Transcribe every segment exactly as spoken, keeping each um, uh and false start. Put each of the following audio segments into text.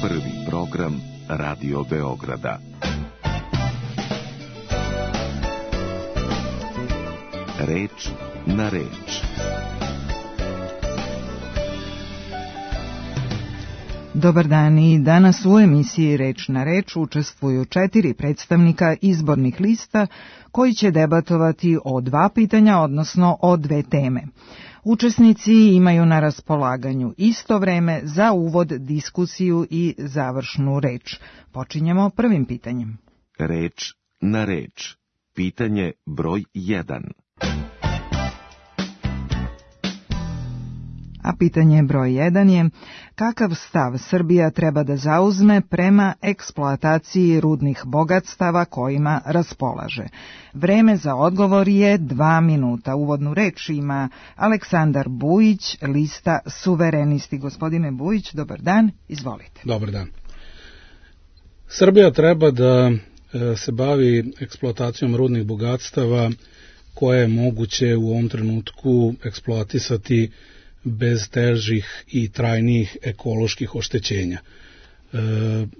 Prvi program Radio Beograda. Reč na reč. Dobar dan, i danas u emisiji Reč na reč učestvuju četiri predstavnika izbornih lista koji će debatovati o dva pitanja, odnosno o dve teme. Učesnici imaju na raspolaganju isto vreme za uvod, diskusiju i završnu reč. Počinjemo prvim pitanjem. Reč na reč. Pitanje broj jedan. A pitanje broj jedan je: kakav stav Srbija treba da zauzme prema eksploataciji rudnih bogatstava kojima raspolaže? Vreme za odgovor je dva minuta. Uvodnu reč ima Aleksandar Bujić, lista Suverenisti. Gospodine Bujić, dobar dan, izvolite. Dobar dan. Srbija treba da se bavi eksploatacijom rudnih bogatstava koje je moguće u ovom trenutku eksploatisati bez težih i trajnijih ekoloških oštećenja. E,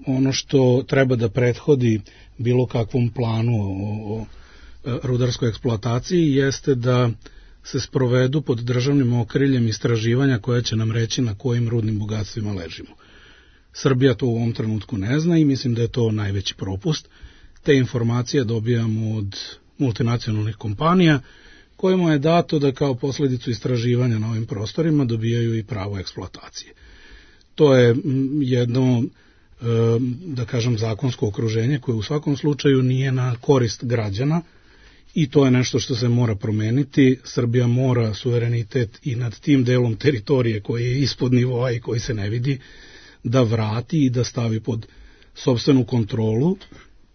ono što treba da prethodi bilo kakvom planu o, o rudarskoj eksploataciji jeste da se sprovedu pod državnim okriljem istraživanja koje će nam reći na kojim rudnim bogatstvima ležimo. Srbija to u ovom trenutku ne zna i mislim da je to najveći propust. Te informacije dobijamo od multinacionalnih kompanija kojima je dato da kao posljedicu istraživanja na ovim prostorima dobijaju i pravo eksploatacije. To je jedno, da kažem, zakonsko okruženje koje u svakom slučaju nije na korist građana i to je nešto što se mora promeniti. Srbija mora suverenitet i nad tim delom teritorije koji je ispod nivoa i koji se ne vidi da vrati i da stavi pod sopstvenu kontrolu.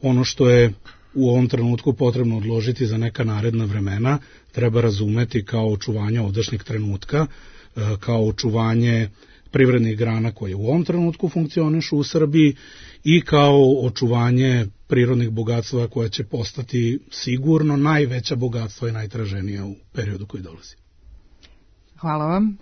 Ono što je u ovom trenutku potrebno odložiti za neka naredna vremena treba razumeti kao očuvanje ovdašnjeg trenutka, kao očuvanje privrednih grana koje u ovom trenutku funkcionišu u Srbiji i kao očuvanje prirodnih bogatstva koja će postati sigurno najveća bogatstva i najtraženija u periodu koji dolazi. Hvala vam.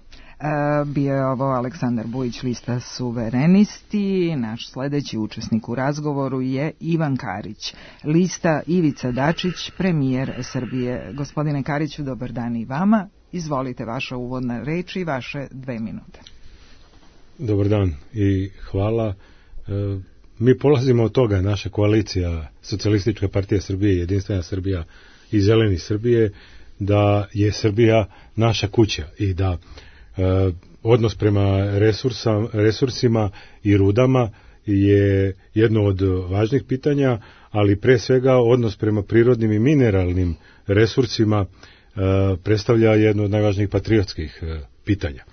Bio je ovo Aleksandar Bujić, lista Suverenisti. Naš sledeći učesnik u razgovoru je Ivan Karić, lista Ivica Dačić, premijer Srbije. Gospodine Kariću, dobar dan i vama. Izvolite, vaša uvodna reč i vaše dve minute. Dobar dan i hvala. Mi polazimo od toga, naša koalicija Socijalistička partija Srbije, Jedinstvena Srbija i Zeleni Srbije, da je Srbija naša kuća i da odnos prema resursa, resursima i rudama je jedno od važnih pitanja, ali pre svega odnos prema prirodnim i mineralnim resursima predstavlja jedno od najvažnijih patriotskih pitanja.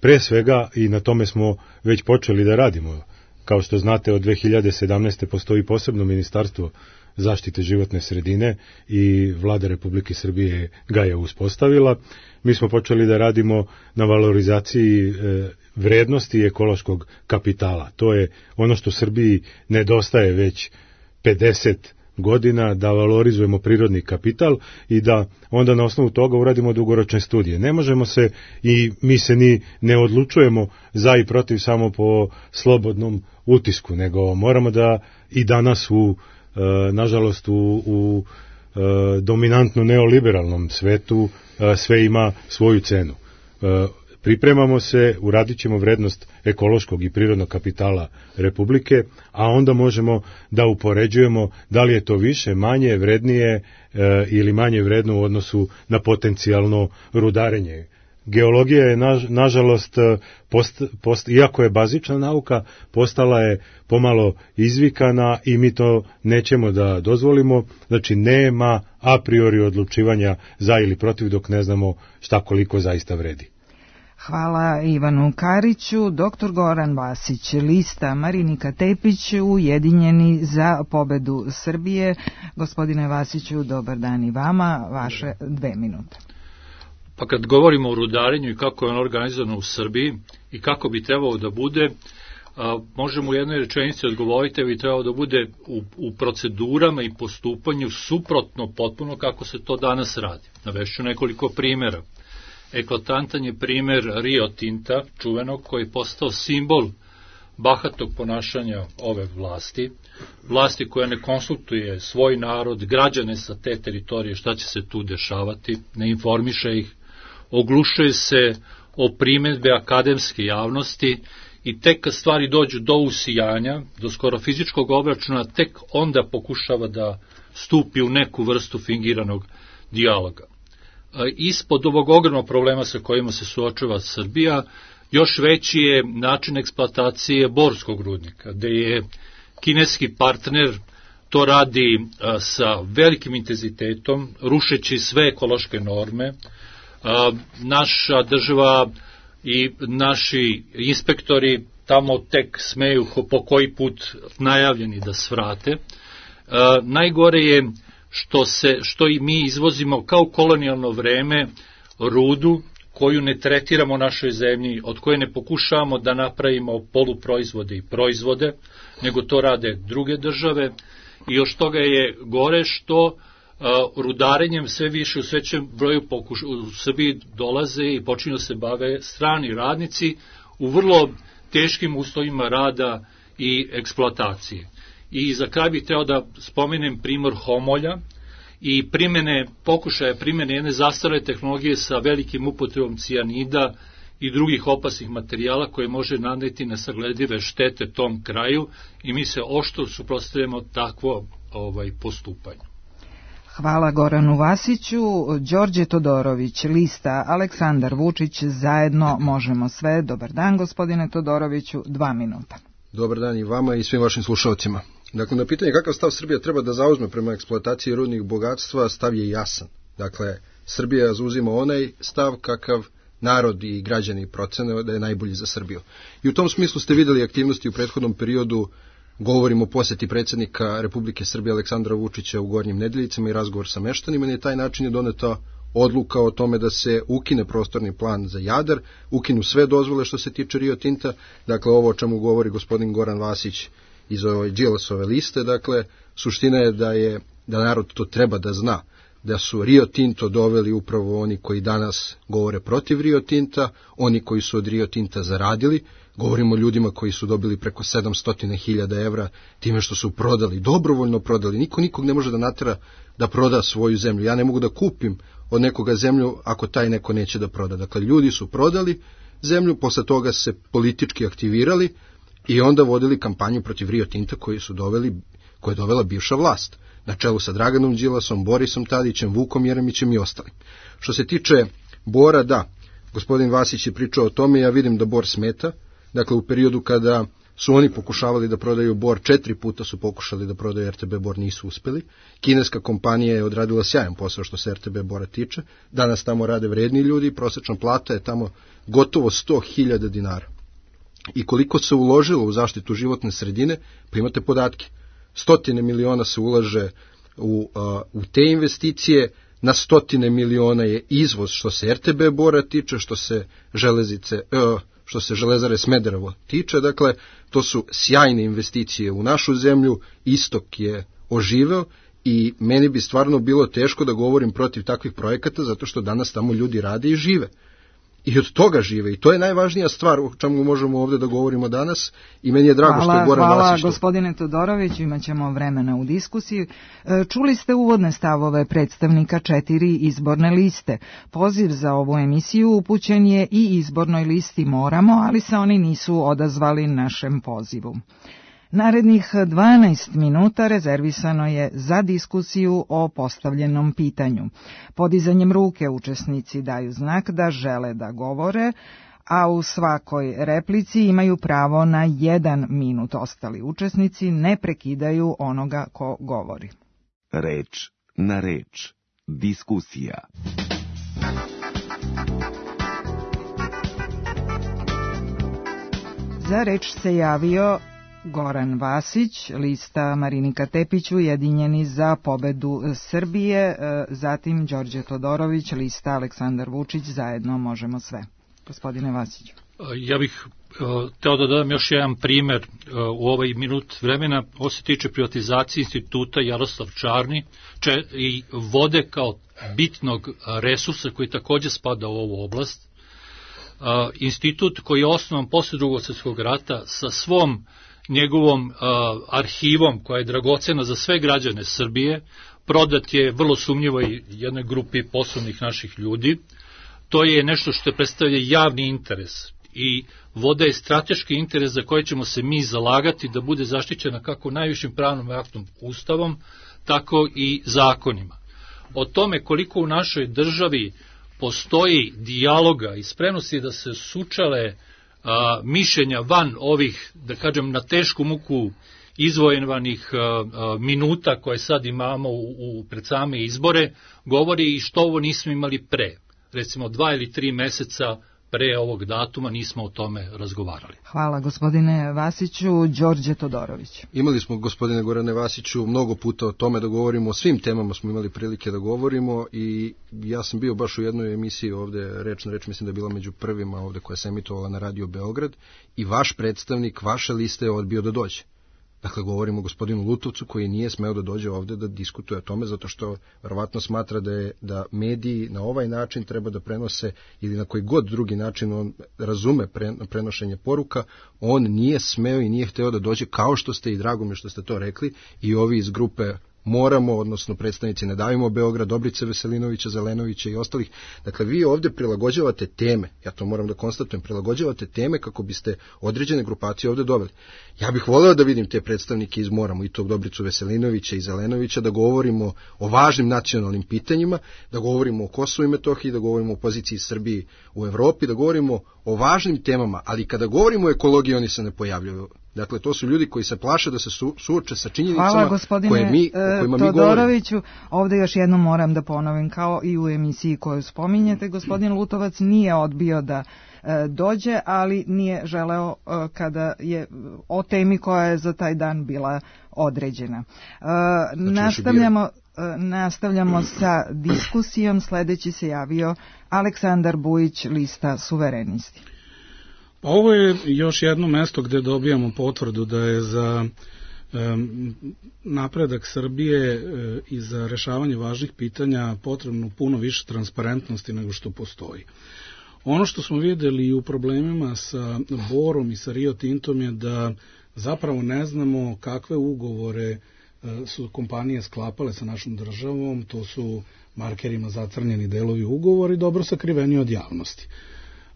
Pre svega, i na tome smo već počeli da radimo, kao što znate, od dve hiljade sedamnaeste. postoji posebno ministarstvo zaštite životne sredine i Vlada Republike Srbije ga je uspostavila. Mi smo počeli da radimo na valorizaciji vrednosti ekološkog kapitala. To je ono što Srbiji nedostaje već pedeset godina, da valorizujemo prirodni kapital i da onda na osnovu toga uradimo dugoročne studije. Ne možemo se i mi se ni ne odlučujemo za i protiv samo po slobodnom utisku, nego moramo da i danas u nažalost u, u dominantno neoliberalnom svetu sve ima svoju cenu. Pripremamo se, uradit ćemo vrednost ekološkog i prirodnog kapitala Republike, a onda možemo da upoređujemo da li je to više, manje, vrednije ili manje vredno u odnosu na potencijalno rudarenje. Geologija je, na, nažalost, post, post, iako je bazična nauka, postala je pomalo izvikana i mi to nećemo da dozvolimo. Znači, nema a priori odlučivanja za ili protiv dok ne znamo šta koliko zaista vredi. Hvala Ivanu Kariću. Doktor Goran Vasić, lista Marinika Tepić, Ujedinjeni za pobedu Srbije. Gospodine Vasiću, dobar dan i vama, vaše dve minute. Pa kad govorimo o rudarenju i kako je on organizovano u Srbiji i kako bi trebalo da bude, a, možemo u jednoj rečenici odgovoriti da bi trebalo da bude u, u procedurama i postupanju suprotno potpuno kako se to danas radi. Navešću nekoliko primjera. Eklatantan je primer Rio Tinta, čuvenog, koji je postao simbol bahatog ponašanja ove vlasti, vlasti koja ne konsultuje svoj narod, građane sa te teritorije, šta će se tu dešavati, ne informiše ih, oglušuje se o primedbe akademske javnosti i tek kad stvari dođu do usijanja, do skoro fizičkog obračuna, tek onda pokušava da stupi u neku vrstu fingiranog dijaloga. Ispod ovog ogromnog problema sa kojima se suočava Srbija, još veći je način eksploatacije borskog rudnika, gde je kineski partner to radi sa velikim intenzitetom, rušeći sve ekološke norme. Naša država i naši inspektori tamo tek smeju po koji put najavljeni da svrate. Najgore je što, se, što i mi izvozimo kao kolonijalno vreme rudu koju ne tretiramo u našoj zemlji, od koje ne pokušavamo da napravimo poluproizvode i proizvode, nego to rade druge države. I još toga je gore što Uh, rudarenjem sve više u svećem broju pokuš, u Srbiji dolaze i počinju da se bave strani radnici u vrlo teškim uslovima rada i eksploatacije. I za kraj bih teo da spomenem primjer Homolja i primene, pokušaja primene jedne zastarele tehnologije sa velikim upotrebom cijanida i drugih opasnih materijala koje može naneti nesagledive štete tom kraju i mi se oštro suprotstavljamo takvo ovaj, postupanje. Hvala Goranu Vasiću. Đorđe Todorović, lista Aleksandar Vučić, zajedno možemo sve. Dobar dan, gospodine Todoroviću, dva minuta. Dobar dan i vama i svim vašim slušalcima. Dakle, na pitanje kakav stav Srbija treba da zauzme prema eksploataciji rudnih bogatstva, stav je jasan. Dakle, Srbija zauzima onaj stav kakav narod i građani procene da je najbolji za Srbiju. I u tom smislu ste videli aktivnosti u prethodnom periodu. Govorimo o posjeti predsjednika Republike Srbije Aleksandra Vučića u Gornjim Nedeljicama i razgovor sa meštanima i na taj način je doneta odluka o tome da se ukine prostorni plan za Jadar, ukinu sve dozvole što se tiče Rio Tinta, dakle ovo o čemu govori gospodin Goran Vasić iz ove Đilasove liste, dakle suština je da je da narod to treba da zna, da su Rio Tinto doveli upravo oni koji danas govore protiv Rio Tinta, oni koji su od Rio Tinta zaradili. Govorimo o ljudima koji su dobili preko sedamsto hiljada evra time što su prodali, dobrovoljno prodali. Niko nikog ne može da natera da proda svoju zemlju. Ja ne mogu da kupim od nekoga zemlju ako taj neko neće da proda. Dakle, ljudi su prodali zemlju, posle toga se politički aktivirali i onda vodili kampanju protiv Rio Tinta koji su doveli, koje je dovela bivša vlast, na čelu sa Draganom Đilasom, Borisom Tadićem, Vukom Jeremićem i ostalim. Što se tiče Bora, da, gospodin Vasić je pričao o tome, ja vidim da Bor smeta. Dakle, u periodu kada su oni pokušavali da prodaju Bor, četiri puta su pokušali da prodaju R T B Bor, nisu uspeli. Kineska kompanija je odradila sjajan posao što se R T B Bora tiče. Danas tamo rade vredni ljudi, prosječna plata je tamo gotovo sto hiljada dinara. I koliko se uložilo u zaštitu životne sredine, pa imate podatke. Stotine miliona se ulaže u, uh, u te investicije, na stotine miliona je izvoz što se R T B Bora tiče, što se železnice... Uh, što se Železare Smederevo tiče, dakle, to su sjajne investicije u našu zemlju, istok je oživeo i meni bi stvarno bilo teško da govorim protiv takvih projekata, zato što danas tamo ljudi rade i žive. I od toga žive. I to je najvažnija stvar o čemu možemo ovdje da govorimo danas i meni je drago hvala, što je Goran hvala, Vasić. Hvala gospodine Todorović, imat ćemo vremena u diskusiji. Čuli ste uvodne stavove predstavnika četiri izborne liste. Poziv za ovu emisiju upućen je i izbornoj listi Moramo, ali se oni nisu odazvali našem pozivu. Narednih dvanaest minuta rezervisano je za diskusiju o postavljenom pitanju. Podizanjem ruke učesnici daju znak da žele da govore, a u svakoj replici imaju pravo na jedan minut. Ostali učesnici ne prekidaju onoga ko govori. Reč na reč. Diskusija. Za reč se javio Goran Vasić, lista Marinika Tepić, Ujedinjeni za pobedu Srbije, zatim Đorđe Todorović, lista Aleksandar Vučić, zajedno možemo sve. Gospodine Vasiću. Ja bih uh, teo da dodam još jedan primer uh, u ovaj minut vremena. Ovo se tiče privatizacije instituta Jaroslav Čarni če, i vode kao bitnog resursa koji takođe spada u ovu oblast. a, institut koji je osnovan posle Drugog svjetskog rata sa svom njegovom a, arhivom koja je dragocena za sve građane Srbije, prodat je vrlo sumnjivo i jednoj grupi poslovnih naših ljudi. To je nešto što predstavlja javni interes i voda je strateški interes za koje ćemo se mi zalagati da bude zaštićena kako najvišim pravnom aktom, ustavom, tako i zakonima. O tome koliko u našoj državi postoji dijaloga i spremnosti da se sučale a, mišljenja van ovih, da kažem, na tešku muku izvojenivanih a, a, minuta koje sad imamo u, u pred same izbore, govori i što ovo nismo imali pre. Recimo dva ili tri meseca pre ovog datuma nismo o tome razgovarali. Hvala gospodine Vasiću. Đorđe Todorović. Imali smo, gospodine Gorane Vasiću, mnogo puta o tome da govorimo, o svim temama smo imali prilike da govorimo i ja sam bio baš u jednoj emisiji ovde, reč na reč, mislim da je bila među prvima ovde koja se emitovala na Radio Beograd i vaš predstavnik, vaše liste je odbio da dođe. Dakle, govorimo o gospodinu Lutovcu koji nije smeo da dođe ovde da diskutuje o tome zato što verovatno smatra da je da mediji na ovaj način treba da prenose ili na koji god drugi način on razume pre, prenošenje poruka, on nije smeo i nije hteo da dođe, kao što ste i drago mi što ste to rekli i ovi iz grupe Moramo, odnosno predstavnici Ne davimo Beograd, Dobrice Veselinovića, Zelenovića i ostalih. Dakle, vi ovde prilagođavate teme, ja to moram da konstatujem, prilagođavate teme kako biste određene grupacije ovde doveli. Ja bih voleo da vidim te predstavnike iz Moramo, i tog Dobricu Veselinovića i Zelenovića, da govorimo o važnim nacionalnim pitanjima, da govorimo o Kosovu i Metohiji, da govorimo o poziciji Srbiji u Evropi, da govorimo o važnim temama, ali kada govorimo o ekologiji, oni se ne pojavljaju. Dakle, to su ljudi koji se plaše da se su, suoče sa činjenicama Hvala, gospodine, koje mi, o kojima mi govorimo. Todoroviću, ovde još jednom moram da ponovim, kao i u emisiji koju spominjete, gospodin Lutovac nije odbio da e, dođe, ali nije želeo e, kada je o temi koja je za taj dan bila određena. E, znači, nastavljamo... Nastavljamo sa diskusijom. Sledeći se javio Aleksandar Bujić, lista Suverenisti. Pa ovo je još jedno mesto gde dobijamo potvrdu da je za um, napredak Srbije um, i za rešavanje važnih pitanja potrebno puno više transparentnosti nego što postoji. Ono što smo videli i u problemima sa Borom i sa Rio Tintom je da zapravo ne znamo kakve ugovore su kompanije sklapale sa našom državom, to su markerima zacrnjeni delovi ugovori, dobro sakriveni od javnosti.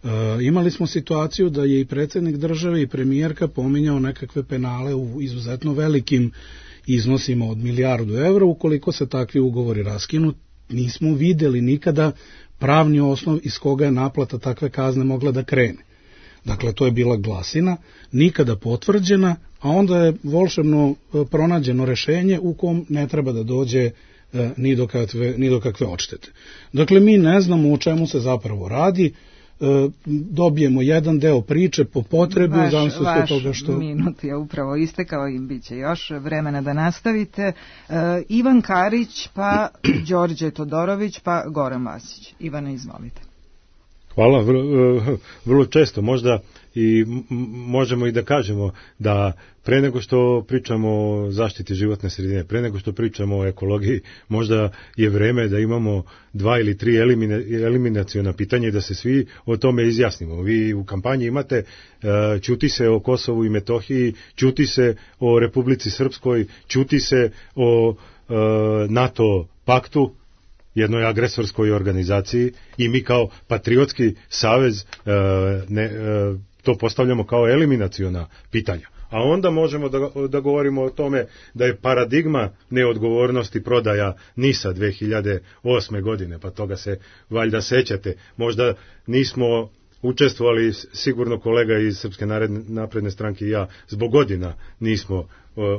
E, imali smo situaciju da je i predsjednik države i premijerka pominjao nekakve penale u izuzetno velikim iznosima od milijardu evra, ukoliko se takvi ugovori raskinu. Nismo videli nikada pravni osnov iz koga je naplata takve kazne mogla da krene. Dakle, to je bila glasina, nikada potvrđena, a onda je volšebno pronađeno rešenje u kom ne treba da dođe e, ni, do kakve, ni do kakve odštete. Dakle, mi ne znamo o čemu se zapravo radi, e, dobijemo jedan deo priče po potrebi u zavisnosti od toga što... Vaš minut je upravo istekao i bit će još vremena da nastavite. E, Ivan Karić, pa Đorđe Todorović, pa Goran Vasić. Ivane, izvolite. Hvala, vrlo, vrlo često možda i možemo i da kažemo da pre nego što pričamo o zaštiti životne sredine, pre nego što pričamo o ekologiji, možda je vreme da imamo dva ili tri elimina, eliminaciona pitanja i da se svi o tome izjasnimo. Vi u kampanji imate, ćuti se o Kosovu i Metohiji, ćuti se o Republici Srpskoj, ćuti se o NATO paktu, jednoj agresorskoj organizaciji, i mi kao patriotski savez e, ne, e, to postavljamo kao eliminaciona pitanja. A onda možemo da, da govorimo o tome da je paradigma neodgovornosti prodaja NIS-a dve hiljade osme godine, pa toga se valjda sećate. Možda nismo učestvovali, sigurno kolega iz Srpske napredne stranke i ja, zbog godina nismo uh,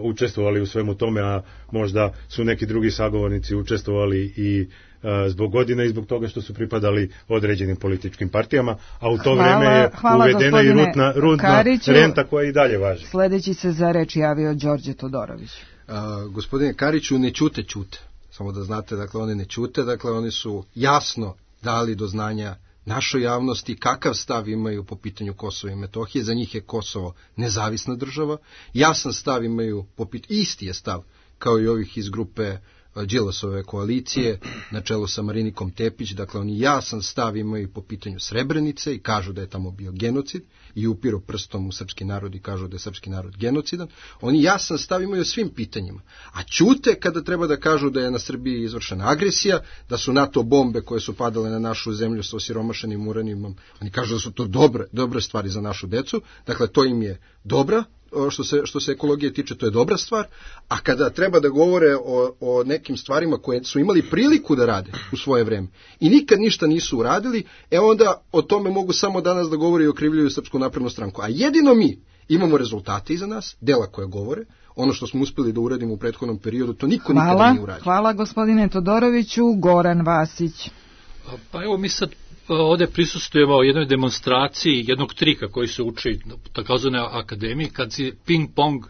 učestvovali u svemu tome, a možda su neki drugi sagovornici učestvovali i uh, zbog godina i zbog toga što su pripadali određenim političkim partijama, a u to hvala, vreme je uvedena i rudna, rudna renta koja i dalje važi. Sledeći se za reč javio Đorđe Todorović. A, gospodine Kariću, ne ćute ćute, samo da znate, dakle oni ne ćute, dakle oni su jasno dali do znanja našoj javnosti kakav stav imaju po pitanju Kosova i Metohije. Za njih je Kosovo nezavisna država. Jasan stav imaju po pitanju, isti je stav kao i ovih iz grupe Đilasove koalicije na čelu sa Marinikom Tepić, dakle oni jasan stav imaju po pitanju Srebrenice i kažu da je tamo bio genocid i upiru prstom u srpski narod i kažu da je srpski narod genocidan. Oni jasan stav imaju o svim pitanjima, a ćute kada treba da kažu da je na Srbiji izvršena agresija, da su NATO bombe koje su padale na našu zemlju sa osiromašenim uranijumom, oni kažu da su to dobre, dobre stvari za našu decu, dakle to im je dobra, što se, što se ekologije tiče, to je dobra stvar, a kada treba da govore o, o nekim stvarima koje su imali priliku da rade u svoje vreme i nikad ništa nisu uradili, e onda o tome mogu samo danas da govore i okrivljuju Srpsku naprednu stranku. A jedino mi imamo rezultate iza nas, dela koje govore, ono što smo uspeli da uradimo u prethodnom periodu, to niko hvala, nikada nije uradio. Hvala gospodine Todoroviću. Goran Vasić. Pa evo mi sad ovde prisustujemo jednoj demonstraciji jednog trika koji se uči na takozvanoj akademiji, kad si ping-pong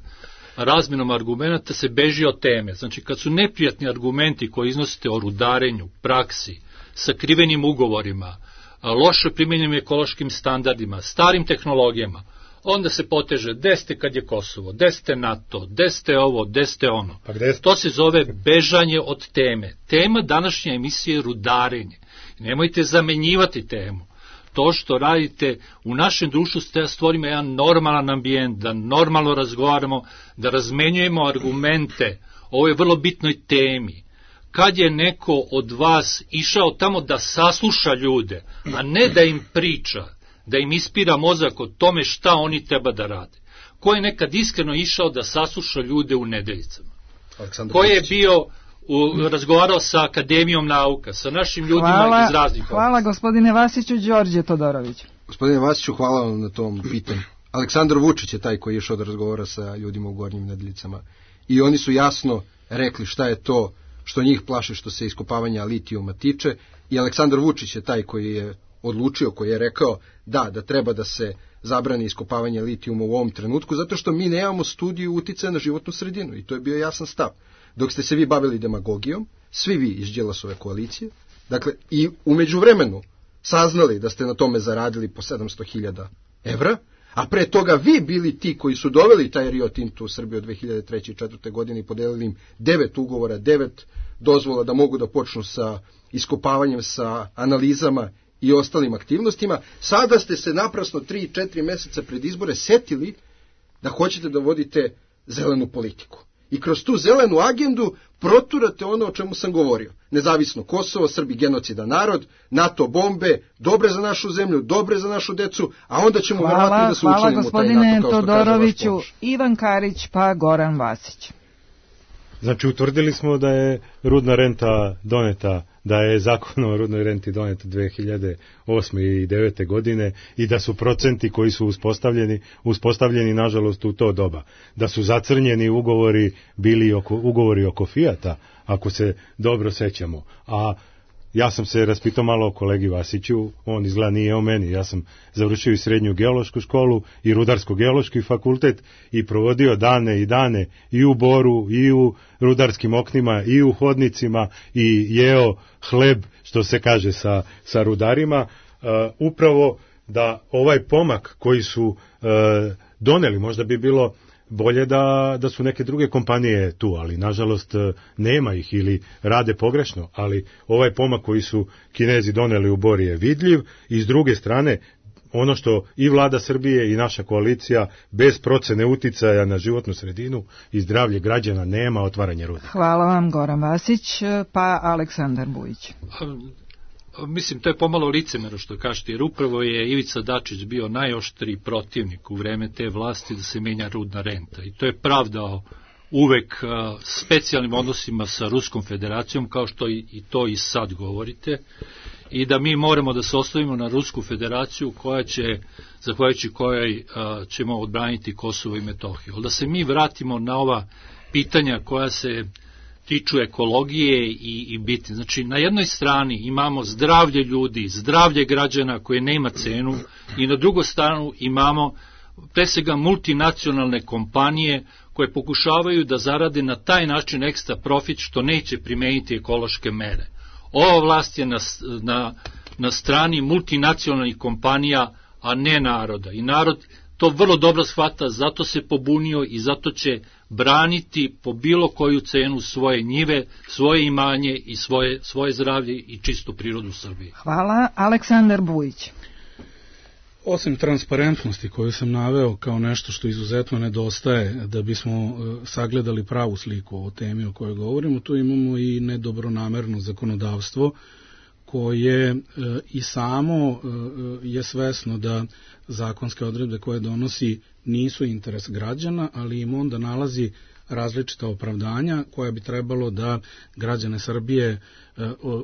razmenom argumenta se beži od teme. Znači kad su neprijatni argumenti koji iznosite o rudarenju, praksi, sakrivenim ugovorima, loše primenjenim ekološkim standardima, starim tehnologijama, onda se poteže gde ste kad je Kosovo, gde ste NATO, gde ste ovo, gde ste ono. Pa gde ste? To se zove bežanje od teme. Tema današnje emisije je rudarenje. Nemojte zamenjivati temu. To što radite u našem društvu, stvorimo jedan normalan ambijent, da normalno razgovaramo, da razmenjujemo argumente o ovoj vrlo bitnoj temi. Kad je neko od vas išao tamo da sasluša ljude, a ne da im priča, da im ispira mozak o tome šta oni treba da rade? Ko je nekad iskreno išao da sasluša ljude u Nedeljicama? Ko je bio u, razgovarao sa Akademijom nauka, sa našim ljudima hvala, iz raznih hvala oblasti? Gospodine Vasiću. Đorđe Todorović. Gospodine Vasiću, hvala vam na tom pitanju. Aleksandar Vučić je taj koji je išao da razgovara sa ljudima u Gornjim Nedeljicama i oni su jasno rekli šta je to što njih plaši što se iskopavanja litijuma tiče, i Aleksandar Vučić je taj koji je odlučio, koji je rekao da, da treba da se zabrani iskopavanje litijuma u ovom trenutku, zato što mi nemamo studiju uticaja na životnu sredinu i to je bio jasan stav. Dok ste se vi bavili demagogijom, svi vi iz Đilasove koalicije, dakle i u međuvremenu saznali da ste na tome zaradili po sedamsto hiljada evra, a pre toga vi bili ti koji su doveli taj Rio Tinto u Srbiju od dve hiljade treće i četvrte godine i podelili im devet ugovora, devet dozvola da mogu da počnu sa iskopavanjem, sa analizama i ostalim aktivnostima. Sada ste se naprasno tri četiri meseca pred izbore setili da hoćete da vodite zelenu politiku. I kroz tu zelenu agendu proturate ono o čemu sam govorio. Nezavisno Kosovo, Srbi genocidan narod, NATO bombe, dobre za našu zemlju, dobre za našu decu, a onda ćemo hvala, verovatno da se hvala učlanimo u taj NATO, kao što kaže vaš Todoroviću. pomoć. Ivan Karić pa Goran Vasić. Znači, utvrdili smo da je rudna renta doneta, da je zakon o rudnoj renti doneta dve hiljade osme i devete godine i da su procenti koji su uspostavljeni, uspostavljeni nažalost u to doba. Da su zacrnjeni ugovori bili oko, ugovori oko Fijata, ako se dobro sećamo. A ja sam se raspitao malo o kolegi Vasiću, on izgleda nije o meni, ja sam završio i srednju geološku školu i rudarsko-geološki fakultet i provodio dane i dane i u Boru i u rudarskim oknima i u hodnicima i jeo hleb, što se kaže, sa, sa rudarima, uh, upravo da ovaj pomak koji su uh, doneli, možda bi bilo bolje da, da su neke druge kompanije tu, ali nažalost nema ih ili rade pogrešno, ali ovaj pomak koji su Kinezi doneli u Bor je vidljiv i s druge strane ono što i vlada Srbije i naša koalicija bez procene uticaja na životnu sredinu i zdravlje građana nema otvaranja rudnika. Hvala vam Goran Vasić, pa Aleksandar Bujić. Mislim, to je pomalo licemero što kažete, jer upravo je Ivica Dačić bio najoštriji protivnik u vreme te vlasti da se menja rudna renta. I to je pravdao uvek specijalnim odnosima sa Ruskom federacijom, kao što i to i sad govorite, i da mi moramo da se ostavimo na Rusku federaciju koja će, zahvaljujući kojoj ćemo odbraniti Kosovo i Metohiju. Ali da se mi vratimo na ova pitanja koja se tiču ekologije i, i biti. Znači, na jednoj strani imamo zdravlje ljudi, zdravlje građana koje nema cenu i na drugoj stranu imamo pre svega multinacionalne kompanije koje pokušavaju da zarade na taj način ekstra profit što neće primeniti ekološke mere. Ova vlast je na, na, na strani multinacionalnih kompanija, a ne naroda. I narod to vrlo dobro shvata, zato se pobunio i zato će braniti po bilo koju cenu svoje njive, svoje imanje i svoje, svoje zdravlje i čistu prirodu u Srbiji. Hvala. Aleksandar Bujić. Osim transparentnosti koju sam naveo kao nešto što izuzetno nedostaje da bismo sagledali pravu sliku o temi o kojoj govorimo, tu imamo i nedobronamerno zakonodavstvo koje e, i samo e, je svesno da zakonske odredbe koje donosi nisu interes građana, ali im onda nalazi različita opravdanja koja bi trebalo da građane Srbije e,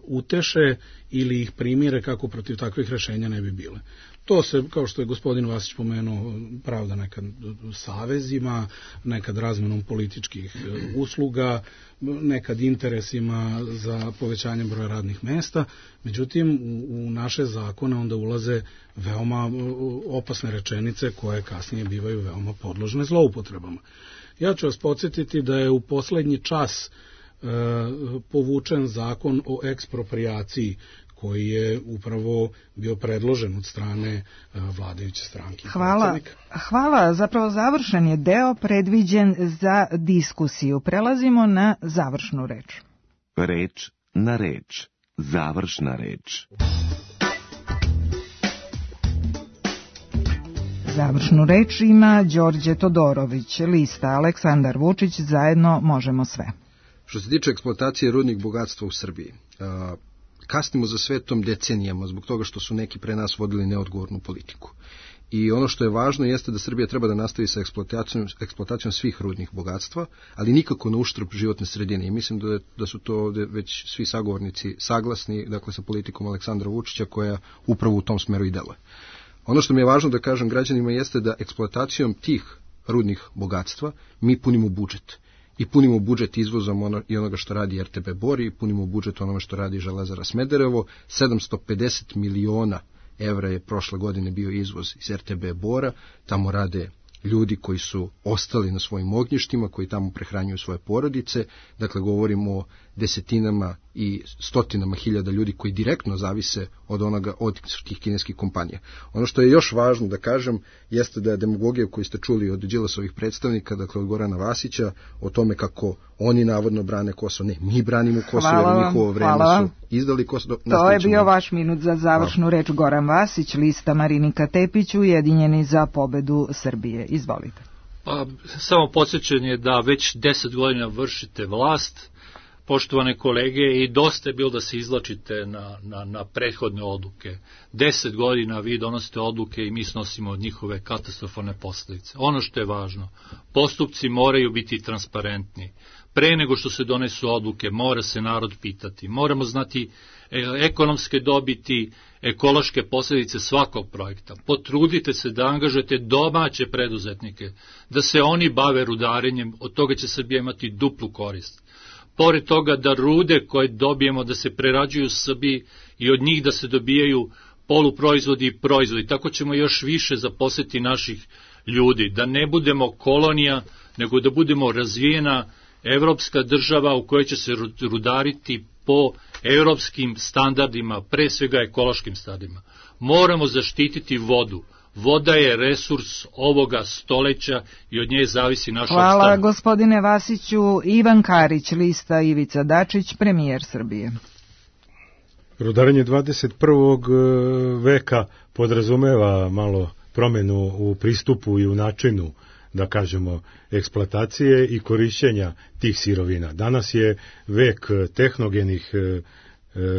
uteše ili ih primire kako protiv takvih rešenja ne bi bile. To se, kao što je gospodin Vasić pomenuo, pravda nekad savezima, nekad razmenom političkih usluga, nekad interesima za povećanje broja radnih mesta. Međutim, u, u naše zakone onda ulaze veoma opasne rečenice koje kasnije bivaju veoma podložne zloupotrebama. Ja ću vas podsjetiti da je u poslednji čas e, povučen zakon o eksproprijaciji koji je upravo bio predložen od strane vladajuće stranke. Hvala. Hvala. Zapravo završen je deo predviđen za diskusiju. Prelazimo na završnu reč. Reč na reč. Završna reč. Završnu reč ima Đorđe Todorović, lista Aleksandar Vučić, zajedno možemo sve. Što se tiče eksploatacije rudnih bogatstva u Srbiji, kasnimo za svetom decenijama zbog toga što su neki pre nas vodili neodgovornu politiku. I ono što je važno jeste da Srbija treba da nastavi sa eksploatacijom, eksploatacijom svih rudnih bogatstva, ali nikako na uštrb životne sredine. I mislim da, da su to ovde već svi sagovornici saglasni, dakle sa politikom Aleksandra Vučića koja upravo u tom smeru i deluje. Ono što mi je važno da kažem građanima jeste da eksploatacijom tih rudnih bogatstva mi punimo budžet. I punimo budžet izvozom ono, i onoga što radi R T B Bor i punimo budžet onome što radi Železara Smederevo. sedamsto pedeset miliona evra je prošle godine bio izvoz iz R T B Bora, tamo rade ljudi koji su ostali na svojim ognjištima, koji tamo prehranjuju svoje porodice, dakle govorimo o desetinama i stotinama hiljada ljudi koji direktno zavise od onoga, od tih kineskih kompanija. Ono što je još važno da kažem jeste da je demagogija koju ste čuli od Đilasovih predstavnika, dakle od Gorana Vasića, o tome kako oni navodno brane Kosovo. Ne, mi branimo Kosovo jer u njihovo vreme su izdali Kosovo. To je bio vaš minut za završnu hvala. Reč. Goran Vasić, lista Marinika Tepić, Ujedinjeni za pobedu Srbije. Izvolite. Pa, samo podsjećanje da već deset godina vršite vlast, poštovane kolege, i dosta je bilo da se izlačite na, na, na prethodne odluke. Deset godina vi donosite odluke i mi snosimo od njihove katastrofalne posljedice. Ono što je važno, postupci moraju biti transparentni. Pre nego što se donesu odluke, mora se narod pitati. Moramo znati ekonomske dobiti, ekološke posljedice svakog projekta. Potrudite se da angažujete domaće preduzetnike, da se oni bave rudarenjem, od toga će Srbija imati duplu korist. Pored toga da rude koje dobijemo da se prerađuju u Srbiji i od njih da se dobijaju poluproizvodi i proizvodi, tako ćemo još više zaposliti naših ljudi, da ne budemo kolonija, nego da budemo razvijena evropska država u kojoj će se rudariti po evropskim standardima, pre svega ekološkim standardima. Moramo zaštititi vodu. Voda je resurs ovoga stoleća i od nje zavisi naš opstanak. Hvala gospodine Vasiću. Ivan Karić, lista Ivica Dačić, premijer Srbije. Rudarenje dvadeset prvog veka podrazumeva malo promenu u pristupu i u načinu, da kažemo, eksploatacije i korišćenja tih sirovina. Danas je vek tehnogenih e, e,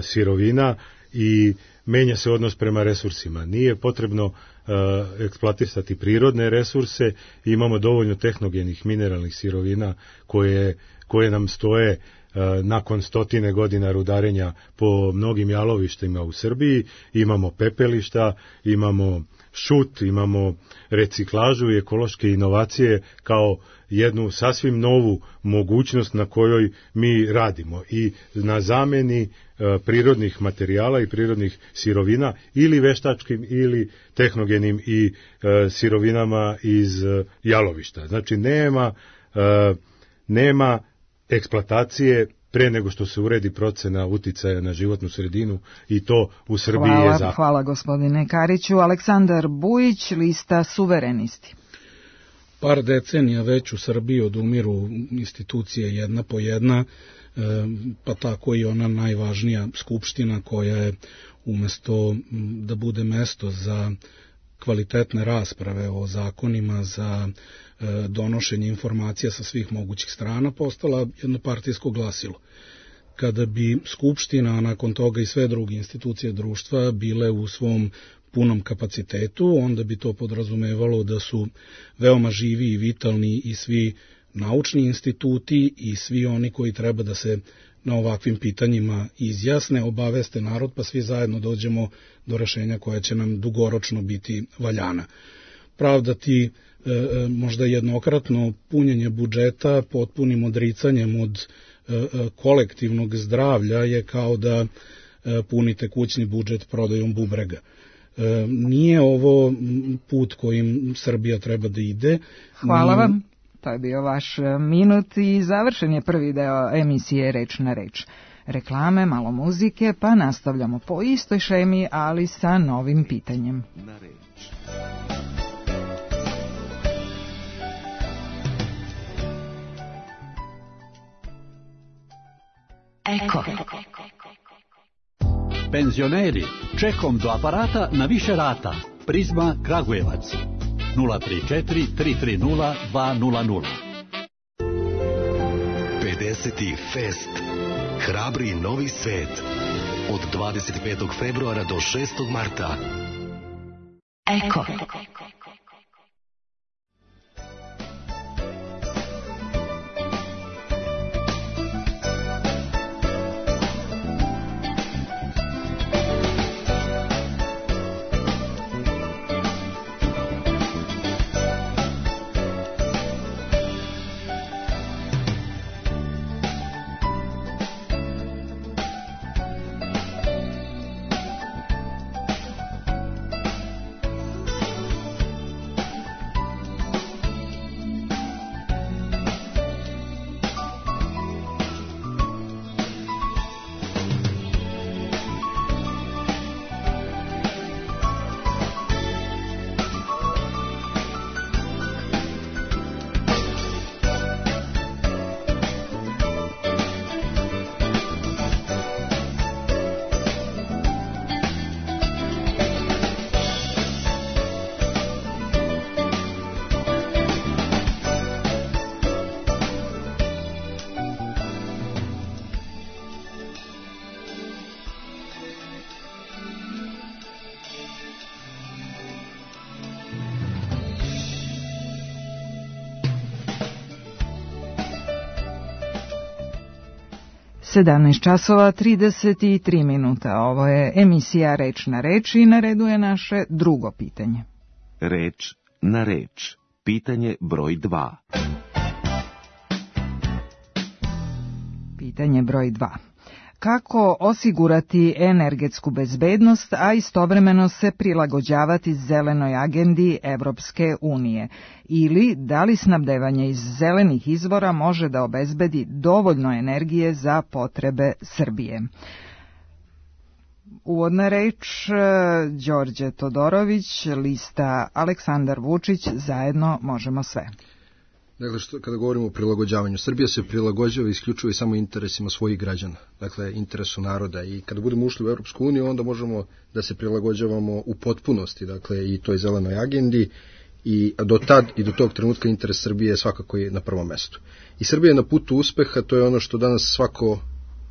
sirovina i menja se odnos prema resursima. Nije potrebno e, eksploatisati prirodne resurse, imamo dovoljno tehnogenih mineralnih sirovina koje, koje nam stoje e, nakon stotine godina rudarenja po mnogim jalovištima u Srbiji. Imamo pepelišta, imamo šut, imamo reciklažu i ekološke inovacije kao jednu sasvim novu mogućnost na kojoj mi radimo i na zameni e, prirodnih materijala i prirodnih sirovina ili veštačkim ili tehnogenim i e, sirovinama iz e, jalovišta. Znači nema, e, nema eksploatacije pre nego što se uredi procena uticaja na životnu sredinu i to u Srbiji hvala, je zakon. Hvala gospodine Kariću. Aleksandar Bujić, lista Suverenisti. Par decenija već u Srbiji odumiru institucije jedna po jedna, pa tako i ona najvažnija skupština koja je umesto da bude mesto za kvalitetne rasprave o zakonima, za donošenje informacija sa svih mogućih strana, postala jedno partijsko glasilo. Kada bi skupština, a nakon toga i sve druge institucije društva bile u svom punom kapacitetu, onda bi to podrazumevalo da su veoma živi i vitalni i svi naučni instituti i svi oni koji treba da se na ovakvim pitanjima izjasne, obaveste narod, pa svi zajedno dođemo do rešenja koja će nam dugoročno biti valjana. Pravdati e, možda jednokratno punjenje budžeta potpunim odricanjem od e, kolektivnog zdravlja je kao da e, punite kućni budžet prodajom bubrega. E, nije ovo put kojim Srbija treba da ide. Hvala vam. To je bio vaš minut i završen je prvi deo emisije Reč na reč. Reklame, malo muzike, pa nastavljamo po istoj šemi, ali sa novim pitanjem. Na reč. Eko. Penzioneri, čekom do aparata na više rata. Prizma Kragujevac. nula tri četiri tri tri nula dva nula nula. pedeseti Fest. Hrabri novi svet. Od dvadeset petog februara do šestog marta. Eko. sedamnaest časova trideset tri minuta. Ovo je emisija Reč na reč i na redu je naše drugo pitanje. Reč na reč. Pitanje broj dva. Pitanje broj dva. Kako osigurati energetsku bezbednost, a istovremeno se prilagođavati zelenoj agendi Evropske unije? Ili da li snabdevanje iz zelenih izvora može da obezbedi dovoljno energije za potrebe Srbije? Uvodna reč Đorđe Todorović, lista Aleksandar Vučić, zajedno možemo sve. Dakle, što, kada govorimo o prilagođavanju, Srbija se prilagođava isključivo i samo interesima svojih građana, dakle interesu naroda, i kada budemo ušli u Europsku uniju, onda možemo da se prilagođavamo u potpunosti, dakle i toj zelenoj agendi, i do tad i do tog trenutka interes Srbije je svakako je na prvom mestu. I Srbija je na putu uspeha, to je ono što danas svako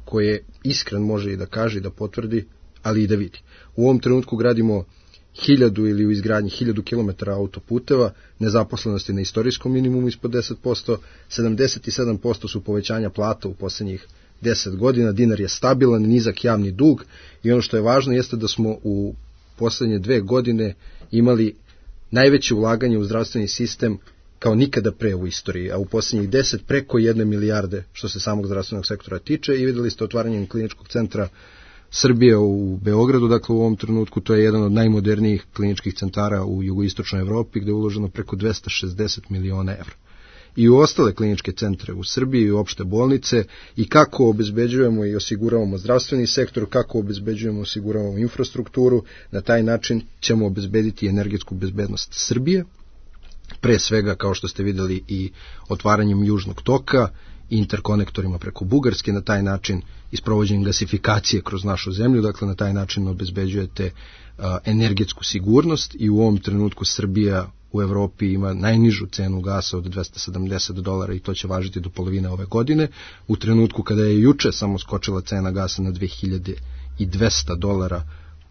ko je iskren može i da kaže i da potvrdi, ali i da vidi. U ovom trenutku gradimo hiljadu ili u izgradnji hiljadu kilometara autoputeva, nezaposlenosti na istorijskom minimumu ispod deset posto, sedamdeset sedam posto su povećanja plata u poslednjih deset godina, dinar je stabilan, nizak javni dug, i ono što je važno jeste da smo u poslednje dve godine imali najveće ulaganje u zdravstveni sistem kao nikada pre u istoriji, a u poslednjih deset preko jedne milijarde što se samog zdravstvenog sektora tiče, i videli ste otvaranjem kliničkog centra Srbije u Beogradu, dakle u ovom trenutku to je jedan od najmodernijih kliničkih centara u jugoistočnoj Evropi, gde je uloženo preko dvesta šezdeset miliona evra. i u ostale kliničke centre u Srbiji i opšte bolnice i kako obezbeđujemo i osiguravamo zdravstveni sektor, kako obezbeđujemo i osiguravamo infrastrukturu. Na taj način ćemo obezbediti energetsku bezbednost Srbije, pre svega kao što ste videli i otvaranjem južnog toka i interkonektorima preko Bugarske, na taj način i sprovođenjem gasifikacije kroz našu zemlju, dakle na taj način obezbeđujete a, energetsku sigurnost i u ovom trenutku Srbija u Evropi ima najnižu cenu gasa od dvesta sedamdeset dolara i to će važiti do polovine ove godine, u trenutku kada je juče samo skočila cena gasa na dve hiljade dvesta dolara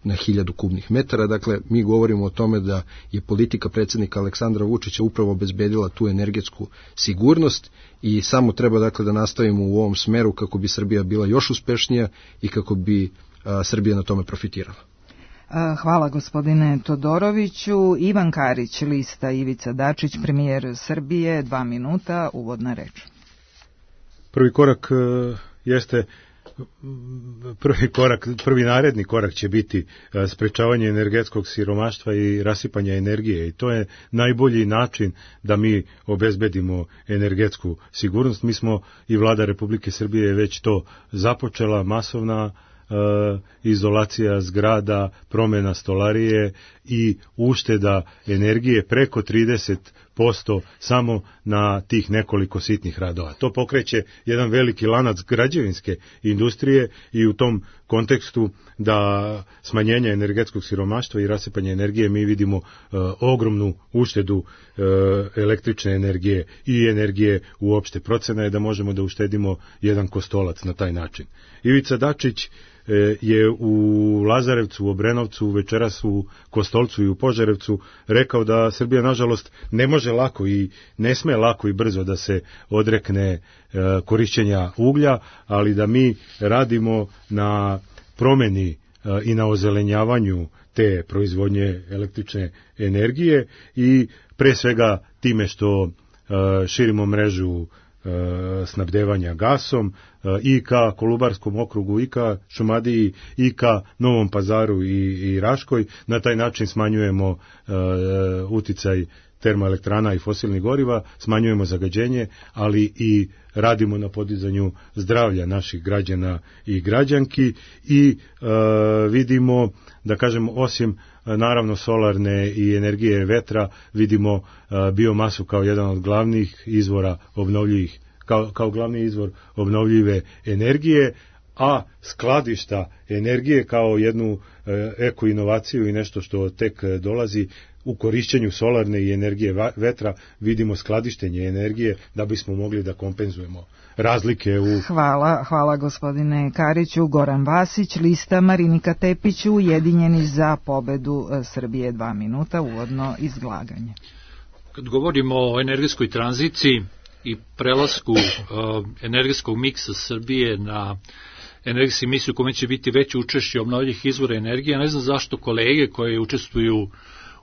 na hiljadu kubnih metara. Dakle, mi govorimo o tome da je politika predsjednika Aleksandra Vučića upravo obezbedila tu energetsku sigurnost i samo treba dakle da nastavimo u ovom smeru kako bi Srbija bila još uspešnija i kako bi a, Srbija na tome profitirala. Hvala gospodine Todoroviću. Ivan Karić, lista Ivica Dačić, premijer Srbije, dva minuta, uvodna reč. Prvi korak jeste prvi korak, prvi naredni korak će biti sprečavanje energetskog siromaštva i rasipanja energije i to je najbolji način da mi obezbedimo energetsku sigurnost. Mi smo i vlada Republike Srbije već to započela, masovna izolacija zgrada, promjena stolarije i ušteda energije preko trideset posto samo na tih nekoliko sitnih radova. To pokreće jedan veliki lanac građevinske industrije i u tom kontekstu da smanjenja energetskog siromaštva i rasipanja energije mi vidimo uh, ogromnu uštedu uh, električne energije i energije uopšte. Procena je da možemo da uštedimo jedan kostolac na taj način. Ivica Dačić je u Lazarevcu, u Obrenovcu, večeras u Kostolcu i u Požarevcu rekao da Srbija nažalost ne može lako i ne sme lako i brzo da se odrekne korišćenja uglja, ali da mi radimo na promeni i na ozelenjavanju te proizvodnje električne energije i pre svega time što širimo mrežu snabdevanja gasom i ka Kolubarskom okrugu, i ka Šumadiji, i ka Novom Pazaru i, i Raškoj. Na taj način smanjujemo uh, uticaj termoelektrana i fosilnih goriva, smanjujemo zagađenje, ali i radimo na podizanju zdravlja naših građana i građanki i uh, vidimo, da kažem, osim naravno solarne i energije vetra, vidimo uh, biomasu kao jedan od glavnih izvora obnovljivih, kao, kao glavni izvor obnovljive energije, a skladišta energije kao jednu uh, eko inovaciju i nešto što tek dolazi u korišćenju solarne i energije vetra, vidimo skladištenje energije da bismo mogli da kompenzujemo razlike u... Hvala, hvala gospodine Kariću. Goran Vasić, lista Marinika Tepić, Ujedinjeni za pobedu Srbije, dva minuta, uvodno izlaganje. Kad govorimo o energetskoj tranziciji i prelasku uh, energetskog miksa Srbije na energetski miks u kome će biti veće učešće obnovljivih izvora energije, ne znam zašto kolege koje učestvuju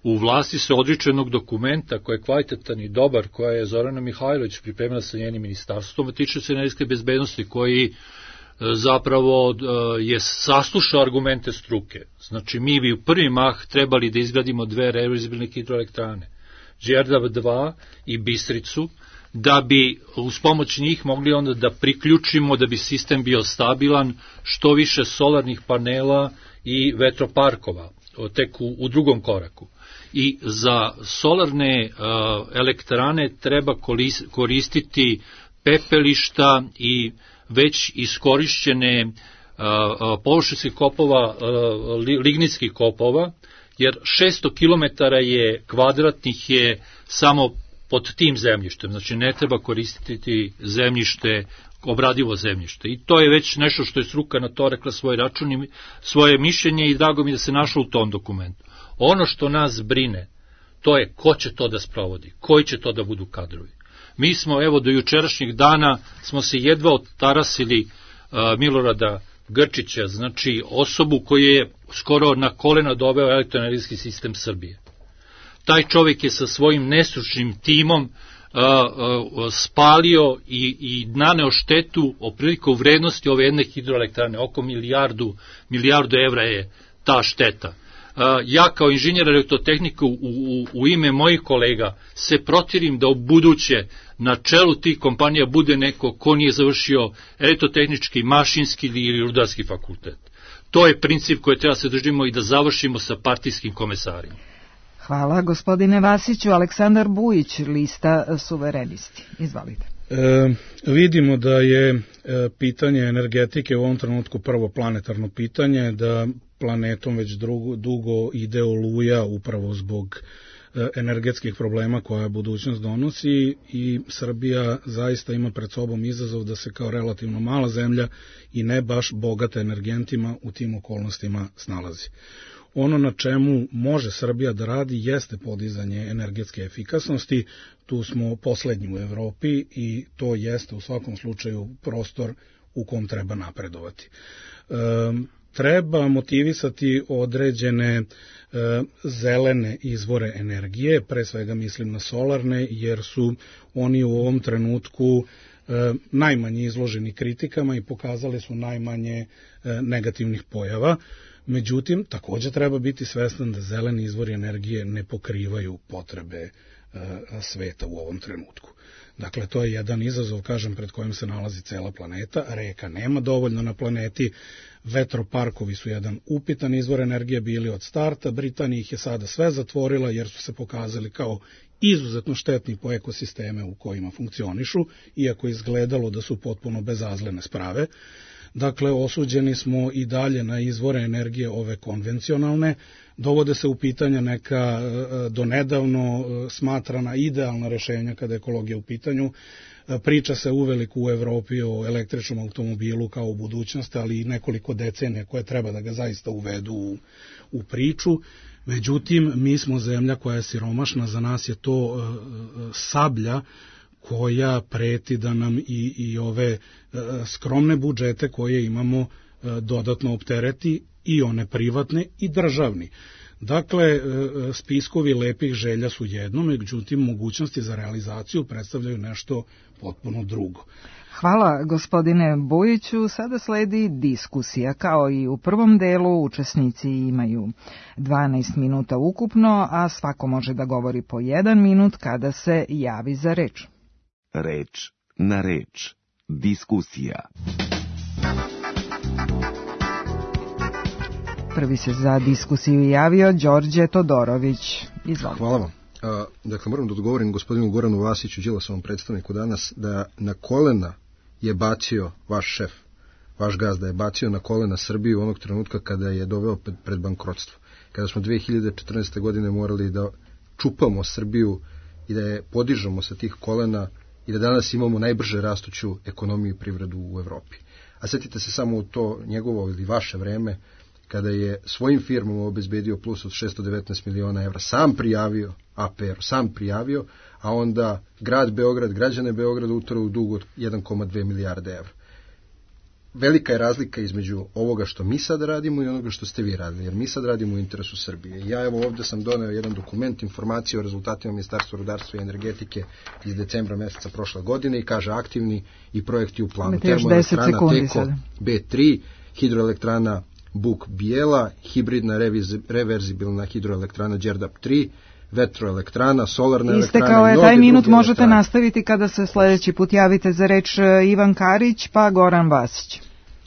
u vlasti se odriču jednog dokumenta koji je kvalitetan i dobar, koja je Zorana Mihajlović pripremila sa njenim ministarstvom, tiče se energetske bezbednosti, koji zapravo je saslušao argumente struke. Znači, mi bi u prvi mah trebali da izgradimo dve reverzibilne hidroelektrane, Đerdap dva i Bistricu, da bi uz pomoć njih mogli onda da priključimo, da bi sistem bio stabilan, što više solarnih panela i vetroparkova, tek u, u drugom koraku. I za solarne uh, elektrane treba koristiti pepelišta i već iskorišćene uh, uh, površinskih kopova, uh, lignitskih kopova, jer šesto kilometara je kvadratnih je samo pod tim zemljištem, znači ne treba koristiti zemljište, obradivo zemljište. I to je već nešto što je struka na to rekla svoj račun i svoje mišljenje i drago mi da se našlo u tom dokumentu. Ono što nas brine, to je ko će to da sprovodi, koji će to da budu kadrovi. Mi smo, evo, do jučerašnjih dana smo se jedva otarasili uh, Milorada Grčića, znači osobu koji je skoro na kolena doveo elektroenergetski sistem Srbije. Taj čovjek je sa svojim nestručnim timom uh, uh, spalio i, i naneo štetu otprilike u vrednosti ove jedne hidroelektrane, oko milijardu, milijardu evra je ta šteta. Ja kao inženjer elektrotehnike u, u, u ime mojih kolega se protivim da u buduće na čelu tih kompanija bude neko ko nije završio elektrotehnički, mašinski ili rudarski fakultet. To je princip koji treba se držimo i da završimo sa partijskim komesarima. Hvala gospodine Vasiću. Aleksandar Bujić, lista Suverenisti. Izvalite. E, vidimo da je e, pitanje energetike u ovom trenutku prvo planetarno pitanje, da planetom već drugo, dugo ide oluja upravo zbog e, energetskih problema koja budućnost donosi i Srbija zaista ima pred sobom izazov da se kao relativno mala zemlja i ne baš bogata energentima u tim okolnostima snalazi. Ono na čemu može Srbija da radi jeste podizanje energetske efikasnosti, tu smo poslednji u Evropi i to jeste u svakom slučaju prostor u kom treba napredovati. E, treba motivisati određene e, zelene izvore energije, pre svega mislim na solarne, jer su oni u ovom trenutku e, najmanje izloženi kritikama i pokazali su najmanje e, negativnih pojava. Međutim, također treba biti svestan da zeleni izvori energije ne pokrivaju potrebe e, sveta u ovom trenutku. Dakle, to je jedan izazov, kažem, pred kojim se nalazi cela planeta. Reka nema dovoljno na planeti, vetroparkovi su jedan upitan izvor energije bili od starta, Britanija ih je sada sve zatvorila jer su se pokazali kao izuzetno štetni po ekosisteme u kojima funkcionišu, iako izgledalo da su potpuno bezazlene sprave. Dakle, osuđeni smo i dalje na izvore energije ove konvencionalne, dovode se u pitanje neka donedavno smatrana idealna rešenja kada je ekologija u pitanju. Priča se uveliko u Evropi o električnom automobilu kao u budućnosti, ali i nekoliko decenija koje treba da ga zaista uvedu u, u priču. Međutim, mi smo zemlja koja je siromašna, za nas je to uh, sablja koja preti da nam i, i ove e, skromne budžete koje imamo e, dodatno optereti, i one privatne i državni. Dakle, e, spiskovi lepih želja su jedno, međutim mogućnosti za realizaciju predstavljaju nešto potpuno drugo. Hvala gospodine Bojiću. Sada sledi diskusija. Kao i u prvom delu, učesnici imaju dvanaest minuta ukupno, a svako može da govori po jedan minut kada se javi za reč. Reč na reč. Diskusija. Prvi se za diskusiju javio Đorđe Todorović. Izvolite. Hvala vam. A, dakle, moram da odgovorim gospodinu Goranu Vasiću, Đilasovom predstavniku danas, da na kolena je bacio vaš šef, vaš gazda je bacio na kolena Srbiju onog trenutka kada je doveo pred, pred bankrotstvo. Kada smo dve hiljade četrnaeste. godine morali da čupamo Srbiju i da je podižemo sa tih kolena i da danas imamo najbrže rastuću ekonomiju i privredu u Evropi. A setite se samo u to njegovo ili vaše vreme, kada je svojim firmama obezbedio plus od šesto devetnaest miliona evra, sam prijavio A P R, sam prijavio, a onda grad Beograd, građane Beograda utrao u dug od jedan zarez dve milijarde evra. Velika je razlika između ovoga što mi sad radimo i onoga što ste vi radili, jer mi sad radimo u interesu Srbije. Ja evo ovdje sam doneo jedan dokument, informacije o rezultatima Ministarstva rudarstva i energetike iz decembra meseca prošle godine i kaže aktivni i projekti u planu. Termoelektrana Teko B tri, hidroelektrana Buk Bijela, hibridna reverzibilna hidroelektrana Đerdap tri, vetroelektrana, solarna elektrana. Istekao je taj minut, možete nastaviti kada se sljedeći put javite za reč Ivan Karić pa Goran Vasić.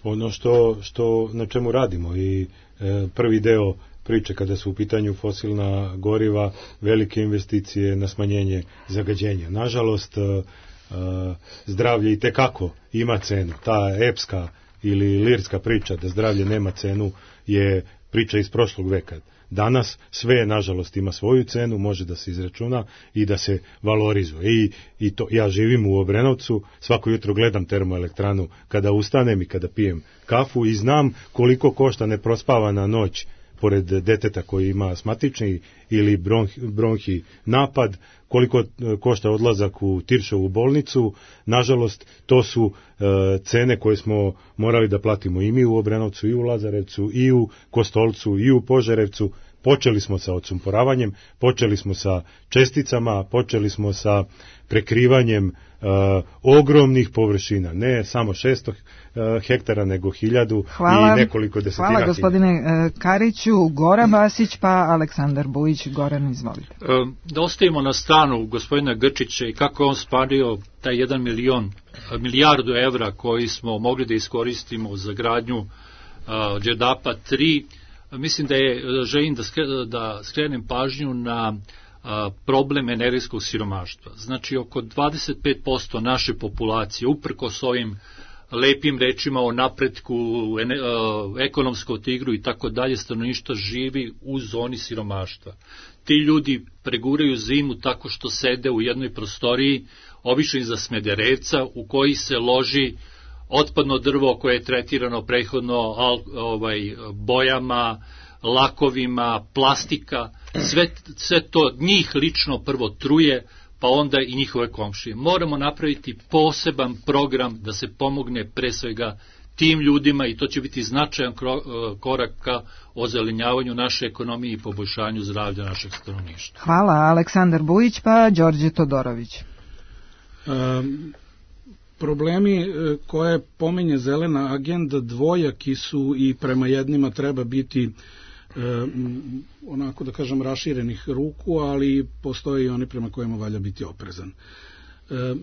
Ono što, što na čemu radimo i e, prvi deo priče kada su u pitanju fosilna goriva, velike investicije na smanjenje zagađenja. Nažalost, e, e, zdravlje i tekako ima cenu. Ta epska ili lirska priča da zdravlje nema cenu je priča iz prošlog veka. Danas sve, nažalost, ima svoju cenu, može da se izračuna i da se valorizuje. I, i to, ja živim u Obrenovcu, svako jutro gledam termoelektranu kada ustanem i kada pijem kafu i znam koliko košta neprospavana noć pored deteta koji ima astmatični ili bronhi, bronhi napad, koliko košta odlazak u Tiršovu bolnicu. Nažalost, to su e, cene koje smo morali da platimo i mi u Obrenovcu, i u Lazarevcu, i u Kostolcu, i u Požarevcu. Počeli smo sa odsumporavanjem, počeli smo sa česticama, počeli smo sa prekrivanjem uh, ogromnih površina, ne samo šesto uh, hektara, nego hiljadu hvala, i nekoliko desetina. Hvala gospodine uh, Kariću. Goran Vasić pa Aleksandar Bujić. Goran, izvolite. Uh, da ostavimo na stranu gospodina Grčića i kako on spadio taj jedan milion, milijardu evra koji smo mogli da iskoristimo za gradnju uh, Đerdapa tri. Mislim da je, želim da, skre, da skrenem pažnju na a, problem energetskog siromaštva. Znači, oko dvadeset pet posto naše populacije, uprkos ovim lepim rečima o napretku, ene, a, ekonomskom tigru i tako dalje, stanovništvo živi u zoni siromaštva. Ti ljudi preguraju zimu tako što sede u jednoj prostoriji, obično iza smederevca, u koji se loži otpadno drvo koje je tretirano prethodno al, ovaj, bojama, lakovima, plastika, sve, sve to njih lično prvo truje, pa onda i njihove komšije. Moramo napraviti poseban program da se pomogne pre svega tim ljudima i to će biti značajan korak ka ozelenjavanju naše ekonomije i poboljšanju zdravlja našeg stanovništva. Hvala, Aleksandar Bujić pa Đorđe Todorović. Um, Problemi koje pominje zelena agenda dvojaki su i prema jednima treba biti e, onako da kažem raširenih ruku, ali postoje i oni prema kojima valja biti oprezan. E,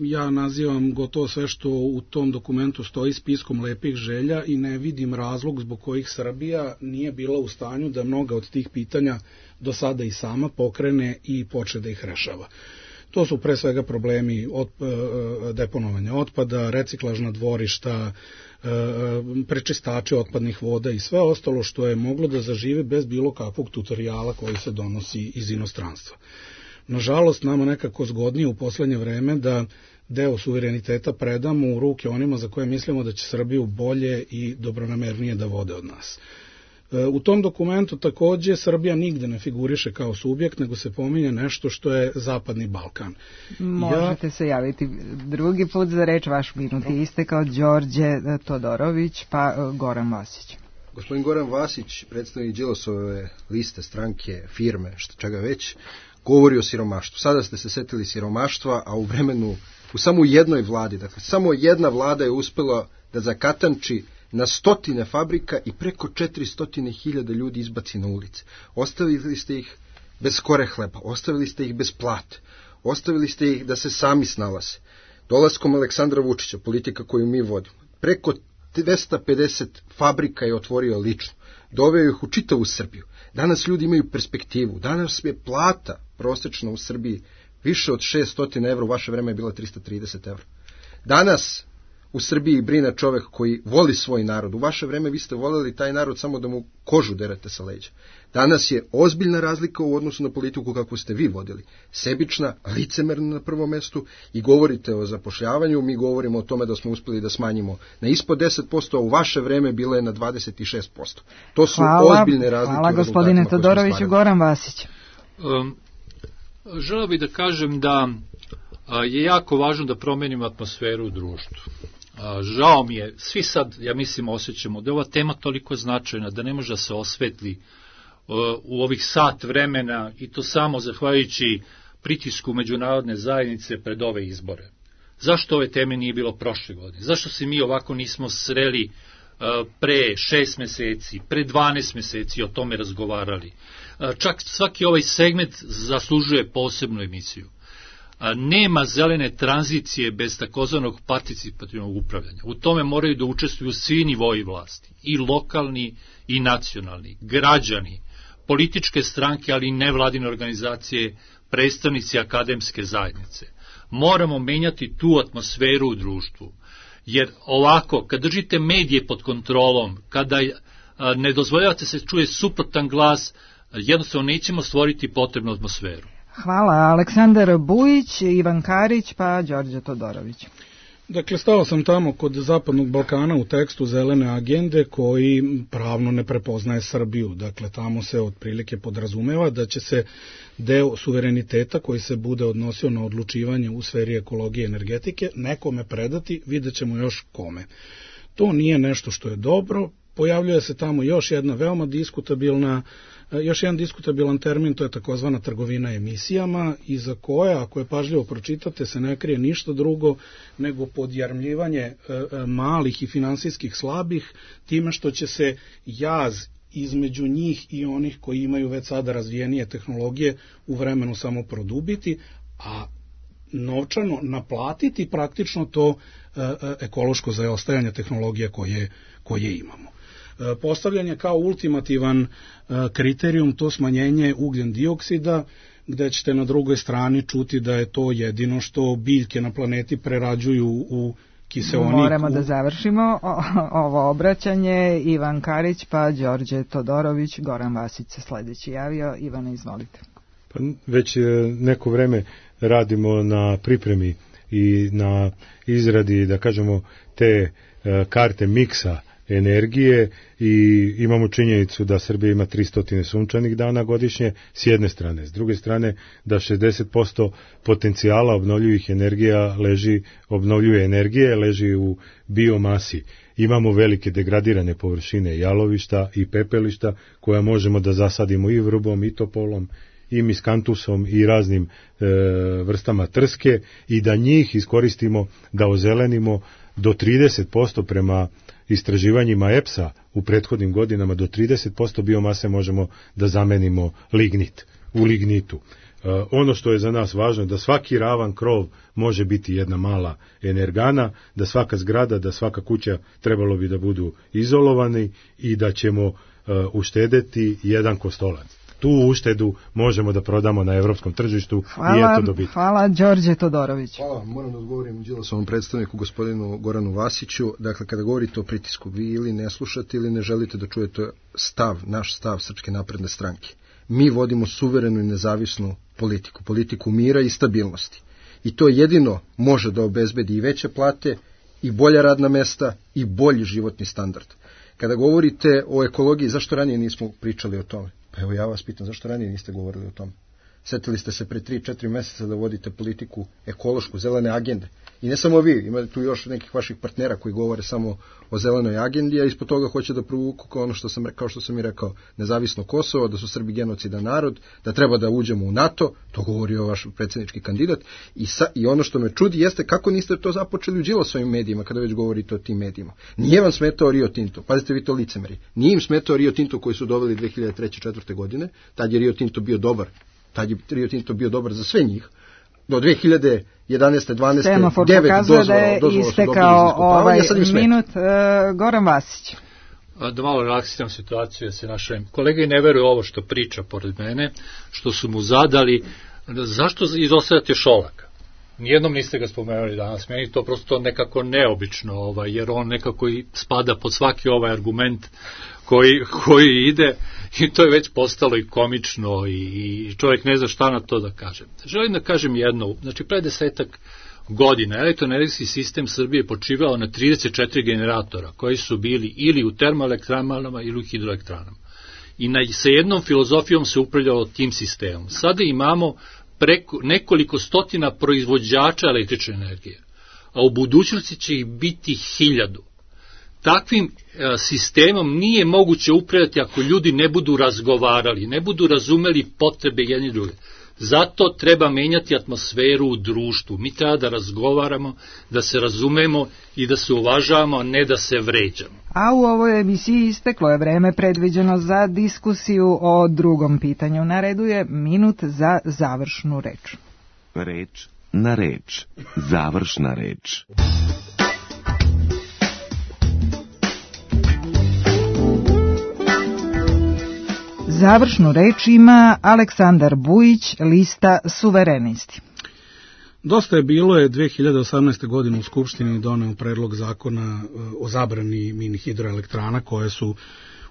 ja nazivam gotovo sve što u tom dokumentu stoji spiskom lepih želja i ne vidim razlog zbog kojih Srbija nije bila u stanju da mnoga od tih pitanja do sada i sama pokrene i počne da ih rešava. To su pre svega problemi od, e, deponovanja otpada, reciklažna dvorišta, e, prečistači otpadnih voda i sve ostalo što je moglo da zažive bez bilo kakvog tutoriala koji se donosi iz inostranstva. Nažalost, nama nekako zgodnije u poslednje vreme da deo suvereniteta predamo u ruke onima za koje mislimo da će Srbiju bolje i dobronamernije da vode od nas. U tom dokumentu takođe Srbija nigde ne figuriše kao subjekt, nego se pominje nešto što je Zapadni Balkan. Možete ja... se javiti drugi put za reč, vaš minut je istekao. Đorđe Todorović pa Goran Vasić. Gospodin Goran Vasić, predstavnik Đilasove liste, stranke, firme, šta čega već, govori o siromaštvu. Sada ste se setili siromaštva, a u vremenu, u samo jednoj vladi, dakle samo jedna vlada je uspela da zakatanči na stotine fabrika i preko četiristo hiljada ljudi izbaci na ulice. Ostavili ste ih bez kore hleba, ostavili ste ih bez plate, ostavili ste ih da se sami snalaze. Dolaskom Aleksandra Vučića, politika koju mi vodimo, preko dvesta pedeset fabrika je otvorio lično, doveo ih u čitavu Srbiju. Danas ljudi imaju perspektivu, danas je plata prosečna u Srbiji više od šessto evra, u vaše vreme je bila tristo trideset evra. Danas u Srbiji brine čovek koji voli svoj narod. U vaše vreme vi ste voljeli taj narod samo da mu kožu derete sa leđa. Danas je ozbiljna razlika u odnosu na politiku kakvu ste vi vodili. Sebična, licemerna na prvom mestu i govorite o zapošljavanju, mi govorimo o tome da smo uspeli da smanjimo na ispod deset posto, a u vaše vreme bilo je na dvadeset šest posto. To su hvala, ozbiljne razlike. Hvala gospodine Todoroviću. Goran Vasić. Um, želeo bih da kažem da a, je jako važno da promenimo atmosferu u društvu. A, žao mi je, svi sad, ja mislim, osjećamo da je ova tema toliko značajna da ne može da se osvetli u ovih sat vremena i to samo zahvaljujući pritisku međunarodne zajednice pred ove izbore. Zašto ove teme nije bilo prošle godine? Zašto se mi ovako nismo sreli pre šest meseci, pre dvanaest meseci o tome razgovarali? Čak svaki ovaj segment zaslužuje posebnu emisiju. Nema zelene tranzicije bez takozvanog participativnog upravljanja. U tome moraju da učestvuju svi nivoji vlasti, i lokalni i nacionalni, građani, političke stranke, ali i nevladine organizacije, predstavnici akademske zajednice. Moramo menjati tu atmosferu u društvu, jer ovako, kad držite medije pod kontrolom, kada ne dozvoljavate se čuje suprotan glas, jednostavno nećemo stvoriti potrebnu atmosferu. Hvala. Aleksandar Bujić, Ivan Karić, pa Đorđe Todorović. Dakle, stao sam tamo kod Zapadnog Balkana u tekstu zelene agende koji pravno ne prepoznaje Srbiju. Dakle, tamo se otprilike podrazumeva da će se deo suvereniteta koji se bude odnosio na odlučivanje u sferi ekologije i energetike nekome predati, vidjet ćemo još kome. To nije nešto što je dobro. Pojavljuje se tamo još jedna veoma diskutabilna još jedan diskutabilan termin, to je takozvana trgovina emisijama, i za koje, ako je pažljivo pročitate, se ne krije ništa drugo nego podjarmljivanje malih i finansijskih slabih, time što će se jaz između njih i onih koji imaju već sada razvijenije tehnologije u vremenu samo produbiti, a novčano naplatiti praktično to ekološko zaostajanje tehnologije koje, koje imamo. Postavljanje kao ultimativan kriterijum to smanjenje ugljen dioksida, gde ćete na drugoj strani čuti da je to jedino što biljke na planeti prerađuju u kiseonik. Moramo da završimo ovo obraćanje. Ivan Karić, pa Đorđe Todorović, Goran Vasić se sledeći javio. Ivane, izvolite. Pa već neko vreme radimo na pripremi i na izradi, da kažemo, te karte miksa energije i imamo činjenicu da Srbija ima tristo sunčanih dana godišnje s jedne strane, s druge strane da šezdeset posto potencijala obnovljivih energija leži, obnovljive energije leži u biomasi. Imamo velike degradirane površine jalovišta i pepelišta koja možemo da zasadimo i vrbom i topolom i miskantusom i raznim e, vrstama trske i da njih iskoristimo da ozelenimo do trideset posto prema istraživanjima E P S-a u prethodnim godinama, do trideset posto biomase možemo da zamenimo lignit, u lignitu. E, ono što je za nas važno je da svaki ravan krov može biti jedna mala energana, da svaka zgrada, da svaka kuća trebalo bi da budu izolovani i da ćemo e, uštedeti jedan kostolac. Tu uštedu možemo da prodamo na evropskom tržištu hvala, i eto dobiti. Hvala, Đorđe Todorović. Hvala, moram da odgovorim Đilasovom predstavniku, gospodinu Goranu Vasiću. Dakle, kada govorite o pritisku, vi ili ne slušate ili ne želite da čujete stav, naš stav Srpske napredne stranke. Mi vodimo suverenu i nezavisnu politiku, politiku mira i stabilnosti. I to jedino može da obezbedi i veće plate, i bolja radna mesta, i bolji životni standard. Kada govorite o ekologiji, zašto ranije nismo pričali o tome? Pa evo ja vas pitam, zašto ranije niste govorili o tome? Setili ste se pre tri četiri meseca da vodite politiku ekološku, zelene agende. I ne samo vi, ima tu još nekih vaših partnera koji govore samo o zelenoj agendi, a ispod toga hoće da provuku kao ono što sam, kao što sam i rekao, nezavisno Kosovo, da su Srbi genocidan narod, da treba da uđemo u NATO, to govorio vaš predsjednički kandidat. I, sa, I ono što me čudi jeste kako niste to započeli u Đilasovim medijima, kada već govorite o tim medijima. Nije vam smetao Rio Tinto, pazite vi to licemeri, nije im smetao Rio Tinto koji su doveli dve hiljade treće četvrte godine, tad je Rio Tinto bio dobar. Tad je Rio Tinto bio dobar za sve njih. Do dve hiljade jedanaeste dvanaeste Semafor devet pokazuje dozvola, da je dozvola istekao ovaj minut. Uh, Goran Vasić. Da malo relaksiram situaciju, da se naše kolege ne veruju ovo što priča pored mene, što su mu zadali, zašto izostavljate Šolaka? Nijednom niste ga spomenuli danas, meni to prosto nekako neobično, ovaj, jer on nekako i spada pod svaki ovaj argument koji, koji ide i to je već postalo i komično i, i čovjek ne zna šta na to da kaže. Želim da kažem jedno, znači pre desetak godina elektroenergetski sistem Srbije počivao na trideset četiri generatora koji su bili ili u termoelektranama ili u hidroelektranama. I na, sa jednom filozofijom se upravljalo tim sistemom. Sada imamo preko, nekoliko stotina proizvođača električne energije, a u budućnosti će ih biti hiljadu. Takvim e, sistemom nije moguće upravljati ako ljudi ne budu razgovarali, ne budu razumeli potrebe jedni druge. Zato treba menjati atmosferu u društvu. Mi treba da razgovaramo, da se razumemo i da se uvažavamo, a ne da se vređamo. A u ovoj emisiji isteklo je vreme predviđeno za diskusiju o drugom pitanju. Na redu je minut za završnu reč. Reč na reč. Završna reč. Završnu reč ima Aleksandar Bujić, lista Suverenisti. Dosta je bilo je dve hiljade osamnaeste. godine u Skupštini doneo predlog zakona o zabrani mini hidroelektrana koje su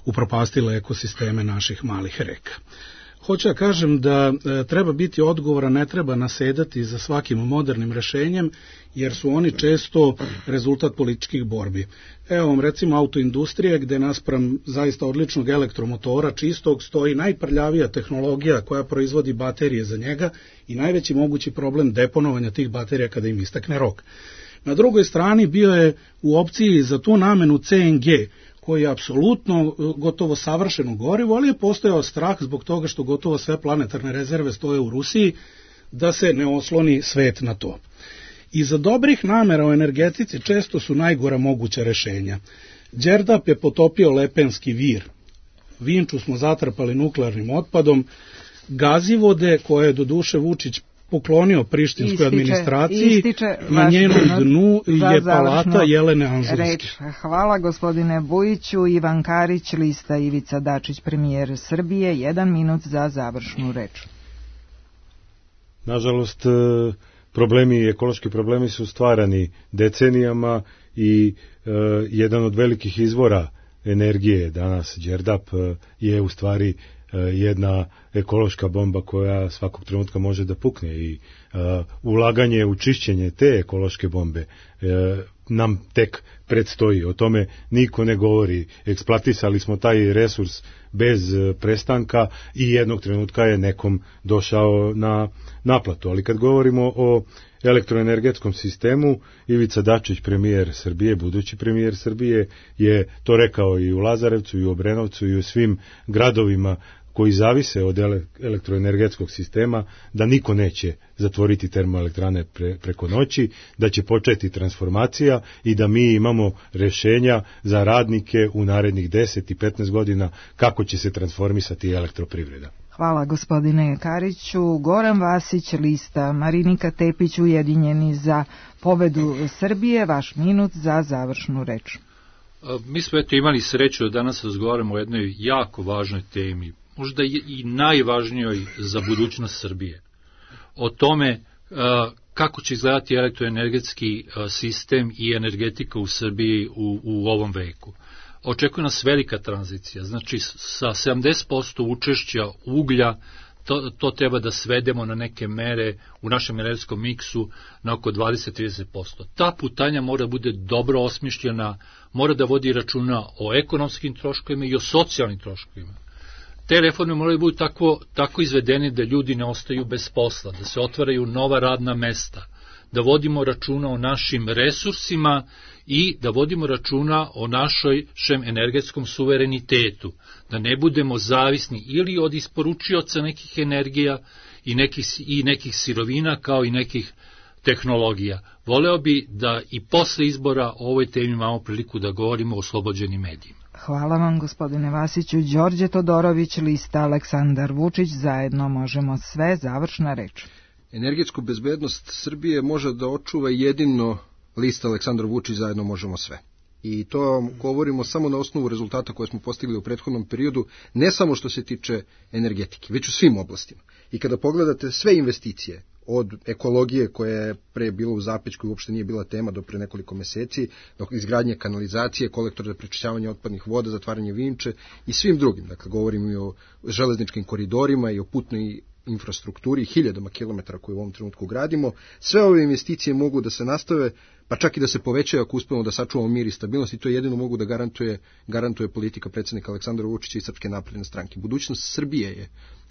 upropastile ekosisteme naših malih reka. Hoću da kažem da e, treba biti odgovora, ne treba nasedati za svakim modernim rešenjem, jer su oni često rezultat političkih borbi. Evo vam recimo autoindustrije gde naspram zaista odličnog elektromotora čistog stoji najprljavija tehnologija koja proizvodi baterije za njega i najveći mogući problem deponovanja tih baterija kada im istekne rok. Na drugoj strani bio je u opciji za tu namenu C N G, koji je apsolutno gotovo savršeno gorivo, ali je postojao strah zbog toga što gotovo sve planetarne rezerve stoje u Rusiji, da se ne osloni svet na to. Iza dobrih namera u energetici često su najgora moguća rešenja. Đerdap je potopio Lepenski vir. Vinču smo zatrpali nuklearnim otpadom. Gazivode, koje je do duše Vučić poklonio prištinskoj ističe, administraciji, ističe na njenom dnu je palata Jelene Anžujske. Reč. Hvala gospodine Bujiću. Ivan Karić, lista Ivica Dačić, premijer Srbije, jedan minut za završnu reč. Nažalost, problemi, ekološki problemi su stvarani decenijama i e, jedan od velikih izvora energije danas, Đerdap, je u stvari jedna ekološka bomba koja svakog trenutka može da pukne i uh, ulaganje u čišćenje te ekološke bombe uh, nam tek predstoji. O tome niko ne govori. Eksploatisali smo taj resurs bez uh, prestanka i jednog trenutka je nekom došao na naplatu. Ali kad govorimo o elektroenergetskom sistemu, Ivica Dačić, premijer Srbije, budući premijer Srbije, je to rekao i u Lazarevcu, i u Obrenovcu, i u svim gradovima koji zavise od elektroenergetskog sistema, da niko neće zatvoriti termoelektrane pre, preko noći, da će početi transformacija i da mi imamo rešenja za radnike u narednih deset i petnaest godina kako će se transformisati elektroprivreda. Hvala gospodine Kariću. Goran Vasić, lista Marinika Tepić, Ujedinjeni za pobedu Srbije, vaš minut za završnu reč. Mi smo eto imali sreću da danas razgovaramo o jednoj jako važnoj temi, možda i najvažnijoj za budućnost Srbije. O tome kako će izgledati elektroenergetski sistem i energetika u Srbiji u, u ovom veku. Očekuje nas velika tranzicija, znači sa sedamdeset posto učešća uglja to, to treba da svedemo na neke mere u našem energetskom miksu na oko dvadeset do trideset posto. Ta putanja mora bude dobro osmišljena, mora da vodi računa o ekonomskim troškovima i o socijalnim troškovima. Te reforme moraju biti tako, tako izvedene da ljudi ne ostaju bez posla, da se otvaraju nova radna mesta, da vodimo računa o našim resursima i da vodimo računa o našem energetskom suverenitetu, da ne budemo zavisni ili od isporučioca nekih energija i nekih, i nekih sirovina kao i nekih tehnologija. Voleo bi da i posle izbora o ovoj temi imamo priliku da govorimo o oslobođenim medijima. Hvala vam gospodine Vasiću. Đorđe Todorović, lista Aleksandar Vučić, zajedno možemo sve, završna reč. Energetsku bezbednost Srbije može da očuva jedino lista Aleksandar Vučić, zajedno možemo sve. I to govorimo samo na osnovu rezultata koje smo postigli u prethodnom periodu, ne samo što se tiče energetike, već u svim oblastima. I kada pogledate sve investicije, od ekologije koja je pre bila u zapećku i uopšte nije bila tema do pre nekoliko meseci, do izgradnje kanalizacije, kolektora za prečišćavanje otpadnih voda, zatvaranje Vinče i svim drugim. Dakle, govorimo i o železničkim koridorima i o putnoj infrastrukturi, hiljadama kilometara koje u ovom trenutku gradimo. Sve ove investicije mogu da se nastave, pa čak i da se povećaju ako uspemo da sačuvamo mir i stabilnost, i to jedino mogu da garantuje, garantuje politika predsjednika Aleksandra Vučića i Srpske napredne stranke. Budućnost Srbije je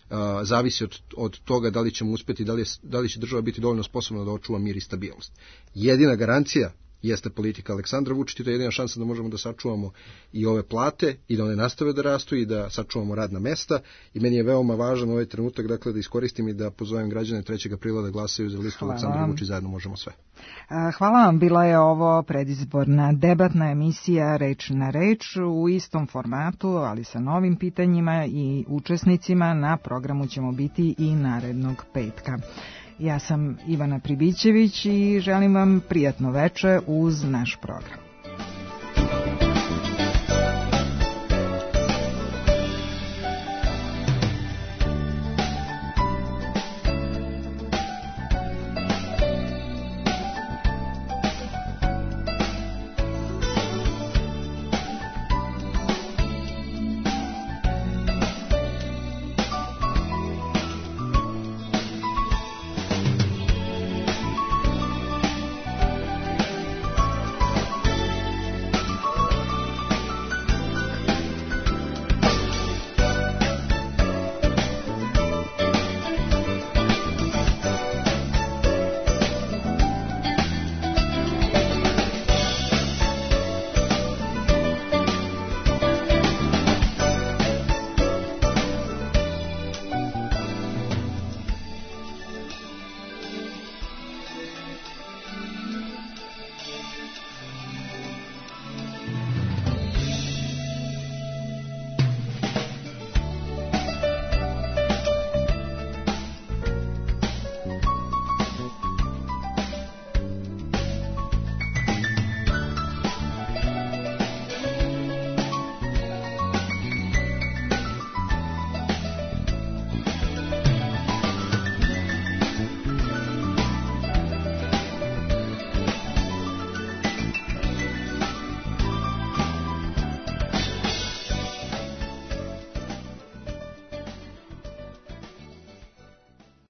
a, zavisi od, od toga da li ćemo uspeti, da li, je, da li će država biti dovoljno sposobna da očuva mir i stabilnost. Jedina garancija jeste politika Aleksandra Vučića, to je jedina šansa da možemo da sačuvamo i ove plate i da one nastave da rastu i da sačuvamo radna mesta. I meni je veoma važan ovaj trenutak, dakle, da iskoristim i da pozovem građane trećeg aprila da glasaju za listu Aleksandra Vučića, zajedno možemo sve. Hvala vam, bila je ovo predizborna debatna emisija Reč na reč u istom formatu, ali sa novim pitanjima i učesnicima. Na programu ćemo biti i narednog petka. Ja sam Ivana Pribićević i želim vam prijatno veče uz naš program.